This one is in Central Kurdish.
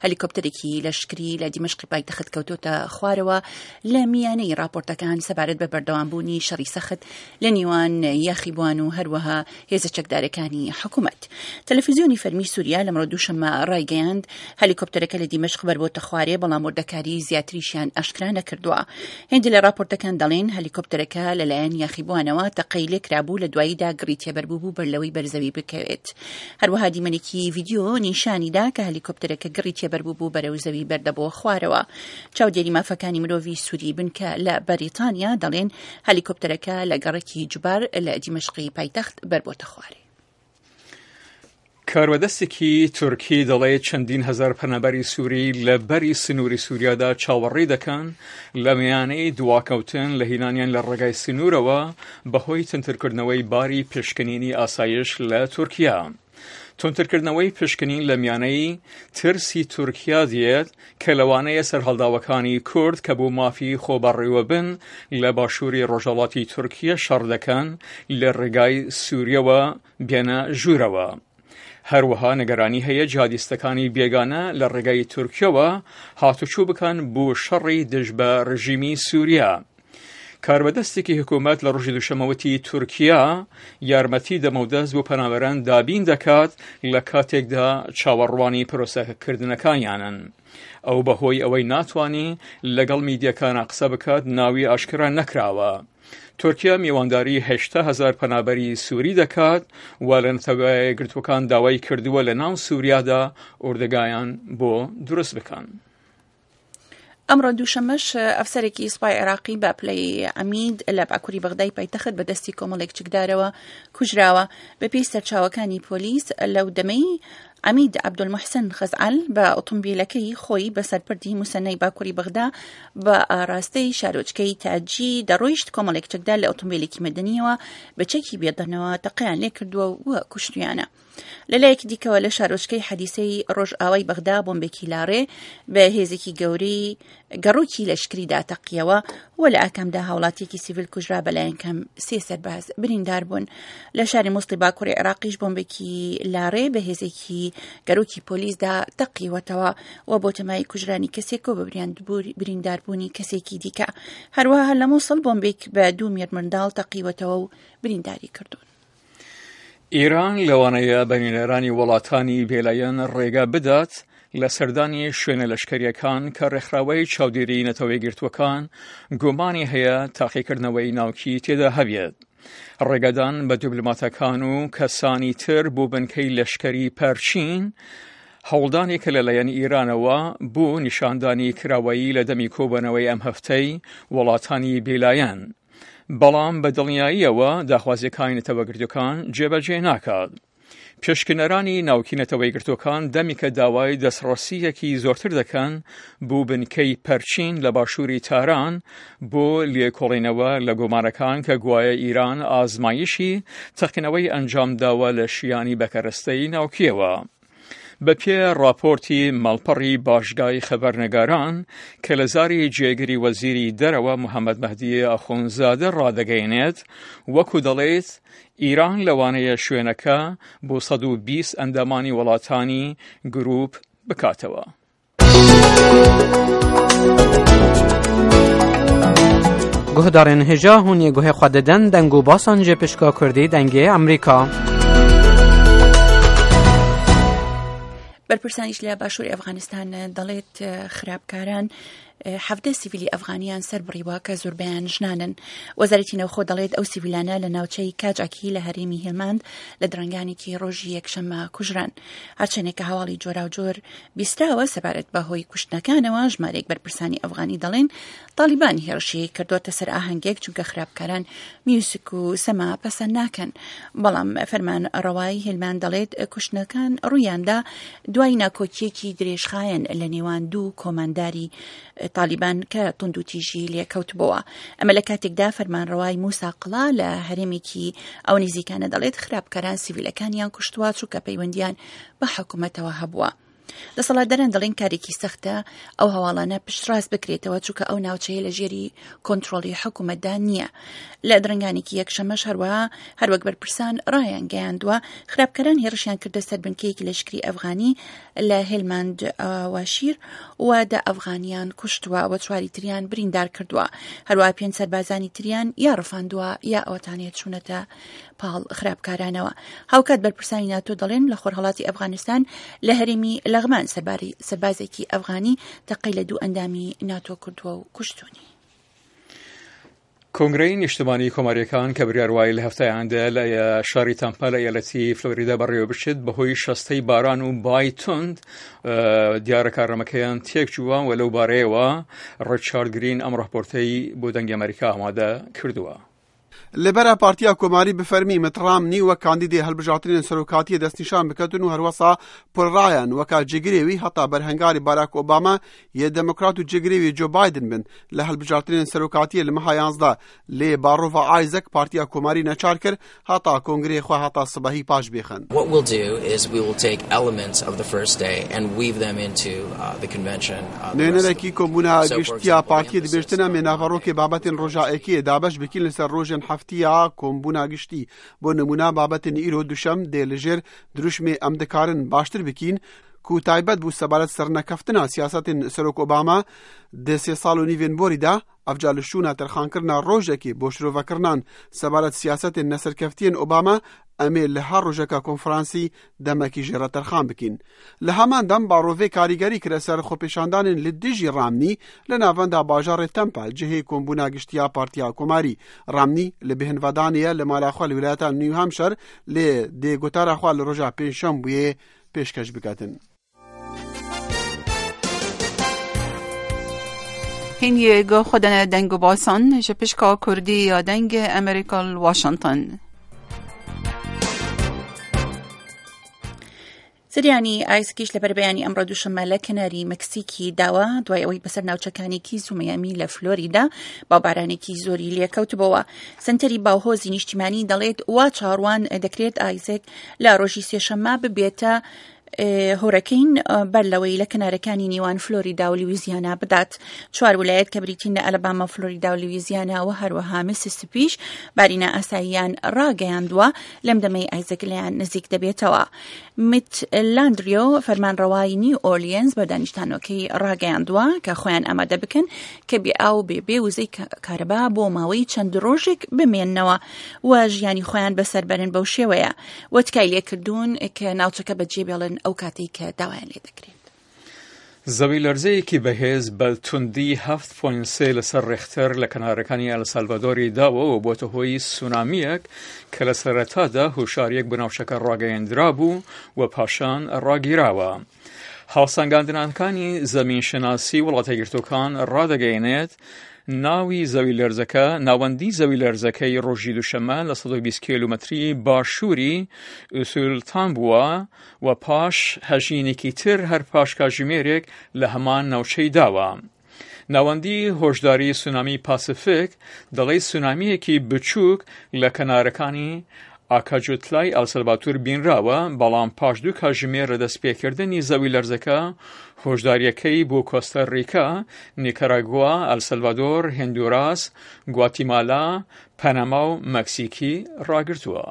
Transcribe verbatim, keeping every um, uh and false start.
هەلیکۆپتەرێکی لەشکری لە دیمەشقی پایتەخت کەوتۆتە خوارەوە لە میانەی راپۆرتەکان سەبارەت بە بەردەوامبوونی شەڕی سەخت لە نێوان یاخیبوان و هەروەها هێزە چەکدارەکانی حکوومەت. تەلەفیزیۆنی فەرمی سووریا لەمڕۆ دووشەممە ڕایگەیاند هەلیکۆپتەرەکە لە دیمەشق بەربۆتە خوارێ، بەڵام وردەکاری زیاتریشیان ئاشکرا نەکردووە. هێندێک لە راپۆرتەکان دەڵێن هەلیکۆپتەرەکە لەلایەن یاخیبوانەوە تەقەی لێکرابوو، لە دواییدا گڕی تێبەربوو بوو بەر لەوەی بەرزەوی بکەوێت. هەروەها دیمەنێکی ڤیدیۆ نیشانی دا کە هەلیکۆپتەرەکە گڕی تێبەربوو بوو بەرەو زەوی بەردەبووە خوارەوە. چاودێری مافەکانی مرۆڤی سووری بنکە لە بەریتانیا دەڵێن هەلیکۆپتەرەکە لە گەڕەکی جوبار لە دیمەشقی پایتەخت بەربۆتە خوارێ. کاروەدەستێکی تورکی دەڵێت چەندین هەزار پەنابەری سووری لە بەری سنووری سووریادا چاوەڕێی دەکەن لە میانەی دواکەوتن لە هینانیان لە ڕێگای سنوورەوە بەهۆی تونترکردنەوەی باری پشکنینی ئاسایش لە تورکیا. تونترکردنەوەی پشکنین لە میانەی ترسی تورکیا دێت کە لەوانەیە سەرهەڵداوەکانی کورد کە بۆ مافی خۆبەڕێوەبن لە باشووری ڕۆژهەڵاتی تورکیا شەڕ دەکەن لە ڕێگای سووریەوە بێنە ژوورەوە. هەروەها نیگەرانی هەیە جیهادیستەکانی بێگانە لە ڕێگای تورکیەوە هاتوچوو بکەن بۆ شەڕی دژ بە ڕژیمی سووریا. کاربەدەستێکی حکوومەت لە ڕۆژی دووشەممە وتی تورکیا یارمەتی دەمەودەست بۆ پەنابەران دابین دەکات لە کاتێکدا چاوەڕوانی پرۆسەکردنەکانیانن. ئەو بەهۆی ئەوەی ناتوانی لەگەڵ میدیەکانە قسە بکات ناوی ئاشکرا نەکراوە. تورکیا میوانداری هەشتا هەزار پەنابەری سووری دەکات و لە نەتەوە یەکگرتووەکان داوای کردووە لە ناو سووریادا ئۆردگایان بۆ دروست بکەن. ئەمڕۆ دووشەممەش ئەفسەرێکی سوپای عێراقی بە پلەی عەمید لە باکووری بەغدای پایتەخت بە دەستی کۆمەڵێک چەکدارەوە کوژراوە. بەپێی سەرچاوەکانی پۆلیس لەو دەمەی عەمید عەبدولموحسن خەزعەل بە ئۆتۆمبیلەکەی خۆی بە سەرپردی موسەنای باکووری بەغدا بە ئاراستەی شارۆچکەی تاجی دەڕۆیشت، کۆمەڵێک چەکدار لە ئۆتۆمبیلێکی مەدەنیەوە بە چەکی بێدەنەوە تەقەیان لێکردووە و کوشتویانە. لەلایەکی دیکەوە لە شارۆچکەی حەدیسەی ڕۆژئاوای بەغدا بۆمبێکی لاڕێ بە هێزێکی گەورەی گەڕۆکی لەشکریدا تەقیەوە و لە ئاکامدا هاوڵاتیەکی سیڤیل کوژرا، بەلایەن کەم سێ سەرباز بریندار بوون. لە شاری موسڵی باکووری عێراقیش بۆمبێکی لاڕێ بە هێزێکی گەڕۆکی پۆلیسدا تەقیوەتەوە و بۆ تەمای کوژرانی کەسێک و بە برینداربوونی کەسێکی دیکە. هەروەها لە موسڵ بۆمبێک بە دوو مێردمنداڵ تەقیوەتەوە و برینداری کردوون. ئێران لەوانەیە بە نوێنەرانی وڵاتانی بێلایەن ڕێگا بدات لە سەردانی شوێنە لەشکریەکان کە ڕێکخراوەی چاودێری نەتەوە یەکگرتووەکان گومانی هەیە تاقیکردنەوەی ناوکی تێدا هەبێت. ڕێگەدان بە دیبلۆماتەکان و کەسانی تر بۆ بنکەی لەشکری پەرچین هەوڵدانێکە لەلایەن ئێرانەوە بۆ نیشاندانی کراوەیی لە دەمی کۆبەنەوەی ئەم هەفتەی وڵاتانی بێلایەن. بەڵام بە دڵنیاییەوە داخوازیەکانی نەتەوەگرتوەکان جێبەجێ ناکات. پێشکنەرانی ناوکی نەتەوەیەکگرتووەکان دەمیکە داوای دەستڕەسیەکی زۆرتر دەکەن بۆ بنکەی پەرچین لە باشووری تاران بۆ لێکۆڵینەوە لە گۆمانەکان کە گوایە ئیران ئازمایشی تەقینەوەی ئەنجام داوە لە شیانی بەکەرەستەی ناوکیەوە. بە پێ راپۆرتی ماڵپەڕی باشگای خەبەرنگاران کە لە زاری جێگری وەزیری دەرەوە محەممەد مەهدی ئاخونزادە ڕادەگەیەنێت، وەکو دەڵێت ئیران لەوانەیە شوێنەکە بۆ سەد و بیست ئەندامانی وڵاتانی گروپ بکاتەوە. Guhdarên hêja hûn ê guhê xwe didin deng û basan ji pişka Kurdî dengê Amerîka. بەرپرسانیش لە باشووری ئەفغانستان دەڵێت خراپکاران حەڤدە سیڤیلی ئەفغانیان سەر بڕیوە کە زۆربەیان ژنانن. وەزارەتی ناوخۆ دەڵێت ئەو سیڤیلانە لە ناوچەی کاجاکی لە هەرێمی هێلماند لە درەنگانێکی ڕۆژی یەکشەممە کوژران. هەرچەندێک کە هەواڵی جۆراوجۆر بیستراوە سەبارەت بە هۆی کوشتنەکانەوە، ژمارەیەک بەرپرسانی ئەفغانی دەڵێن تاڵیبان هێرشی کردووەتە سەر ئاهەنگێک چونکە خراپکاران میوزیک و سەما پەسەند ناکەن. بەڵام فەرمان ڕەوای هێلماند دەڵێت کوشتنەکان ڕوویاندا دوای ناکۆکیەکی درێژخایەن لە نێوان دوو کۆمانداری تالیبان کە توندوتیژی لێکەوتبووە. ئەمە لە کاتێکدا فەرمانڕەوای موسا قڵا لە هەرێمێکی ئەو نزیکانە دەڵێت خراپکاران سیڤیلەکانیان کوشتووە چونکە پەیوەندیان بە حکوومەتەوە هەبووە. دەسەڵاتداران دەڵێن کارێکی سەختە ئەو هەواڵانە پشتڕاست بکرێتەوە، چونکە ئەو ناوچەیە لە ژێری کۆنترۆڵی حکوومەتدا نییە. لە درەنگانێکی یەکشەمەش هەروەها هەروەک بەرپرسان ڕایان گەیاندووە، خراپکەران هێرشیان کردە سەر بنکەیەکی لەشکری ئەفغانی لە هێلماند واشیر و دە ئەفغانیان کوشتووە و چواری تریان بریندار کردووە. هەروەها پێنج سەربازانی تریان یا ڕفاندووە یا ئەوەتانێت چوونەتە پاڵ خراپکارانەوە. هاوکات بەرپرسانی ناتۆ دەڵێن لە خۆرهەڵاتی ئەفغانستان لە هەرێمی لەغمان سەربازێکی ئەفغانی تەقەی لە دوو ئەندامی ناتۆ کردووە و کوشتونی. کۆنگرەی نیشتمانی کۆماریەکان کە بڕیار وایە لە هەفتەی ئایندە لە شاری تەمپا لە ئیالەتی فلۆریدا بەڕێوە بچێت، بەهۆی شەستەی باران و بای توند دیارە کارنامەکەیان تێکچووە و لەو بارەیەوە ڕیچارد گرین ئەم ڕاپۆرتەی بۆ دەنگی ئەمریکا ئامادە کردووە. Li ber e Partiya Komarî bi fermî Mitt Romney wek kandîdê hilbijartinên serokatiyê destnîşan biketin û herwesa Paul Ryan weka cêgirê wî heta berhengarê Barack Obama yê Demokrat û cêgirê wî Joe Biden bin li hilbijartinên serokatiyê li meha yanzdeh lê barova Isaac Partiya Komarî neçar kir heta kongreyê xwe heta sibehî paş bêxin. What we'll do is we will take elements of the first day and weave them into uh, the convention. Uh, the rest of Nûnerekî kombûna giştiya partiyê dibêjtin em ê naverokê babetên roja êkiyê dabeş bikîn li ser rojên heftiya kombûna giştî. Bo nimûna babetên îro duşem dê li jêr dirûşmê em dikarin baştir bikîn ku taybet bû sebaret sernekeftina siyasetên Serok Obama di sê sal û nîvên borî de evca li şûna terxankirina rojekê bo şirovekirinan sebaret siyasetên neserkeftiyên Obama em ê li her rojeka konferansî demekî jê re terxan bikîn. Li heman dem barovê karîgerî kire ser xwepêşandanên li dijî Romney li navenda bajarê Tampa cihê kombûna giştiya Partiya Komarî. Romney li bêhnvedanê ye li mala xwe li wîlayeta New Hampshire lê dê gotara xwe li roja pêncşembûyê pêşkeş biketin. Hîn guh xwe dane deng û basan ji pişka Kurdî ya dengê Amerîka li Washington. زریانی ئایسکیش لە بەربەیانی ئەمڕۆ دووشەممە لە کەناری مەکسیکی داوە دوای ئەوەی بەسەر ناوچەکانی کیز و میامی لە فلۆریدا باوبارانێکی زۆری لێکەوتبەوە. سنتەری باوهۆزی نیشتیمانی دەڵێت وا چاڕوان دەکرێت ئایزێک لە ڕۆژی سێشەممە ببێتە هۆرەکەین بەر لەوەی لە کەنارەکانی نێوان فلۆریدا و لویزیانا بدات. چوار ولایەت کە بریتین لە ئەلەباما، فلۆریدا و لویزیانا و هەروەها میسیسیپیش باری نائاساییان ڕاگەیاندووە لەم دەمەی ئایزەک لەیان نزیک دەبێتەوە. میت لاندریۆ فەرمانڕەوای نیو ئۆرلیەنز بە دانیشتانەکەی ڕاگەیاندووە کە خۆیان ئامادە بکەن کە بێ ئاو بێ بێ وزەی کارەبا بۆ ماوەی چەند ڕۆژێک بمێننەوە و ژیانی خۆیان بەسەر بەرن بەو شێوەیە و تکای لێکردوون کە ناوچەکە بەجێ بێڵن ئەو کاتێک کە داوایان لێ دەکرێت. زەوی لەرزەیەکی بەهێز بە توندی هەفت پۆینت سێ لەسەر ڕێختەر لە کەنارەکانی ئەلسالڤادۆری داوە و بۆتە هۆی سونامییەک کە لە سەرەتادا هۆشاریەک بۆ ناوچەکە ڕاگەیەندرا بوو و پاشان ڕاگیراوە. هاوسەنگاندنەکانی زەمینشناسی وڵاتە یەکگرتووەکان ڕادەگەیەنێت ناوی زەوی لەرزەکە ناوەندی زەوی لەرزەکەی ڕۆژی دووشەممە لە سەد و بیست کیلۆمەتری باشووری ئوسولتان بووە و پاش هەژینێکی تر هەر پاش کاتژمێرێک لە هەمان ناوچەی داوە. ناوەندی هۆشداری سونامی پاسیفیک دەڵێ سونامییەکی بچووک لە کەنارەکانی ئاکاجوتلای ئەلسەلڤاتور بینراوە، بەڵام پاش دوو کاتژمێر لە دەستپێکردنی زەوی لەرزەکە هۆشداریەکەی بۆ کۆستا ریکا، نیکاراگوا، ئەلسەلڤادۆر، هندوراس، گواتیمالا، پەنەما و مەکسیکی ڕاگرتووە.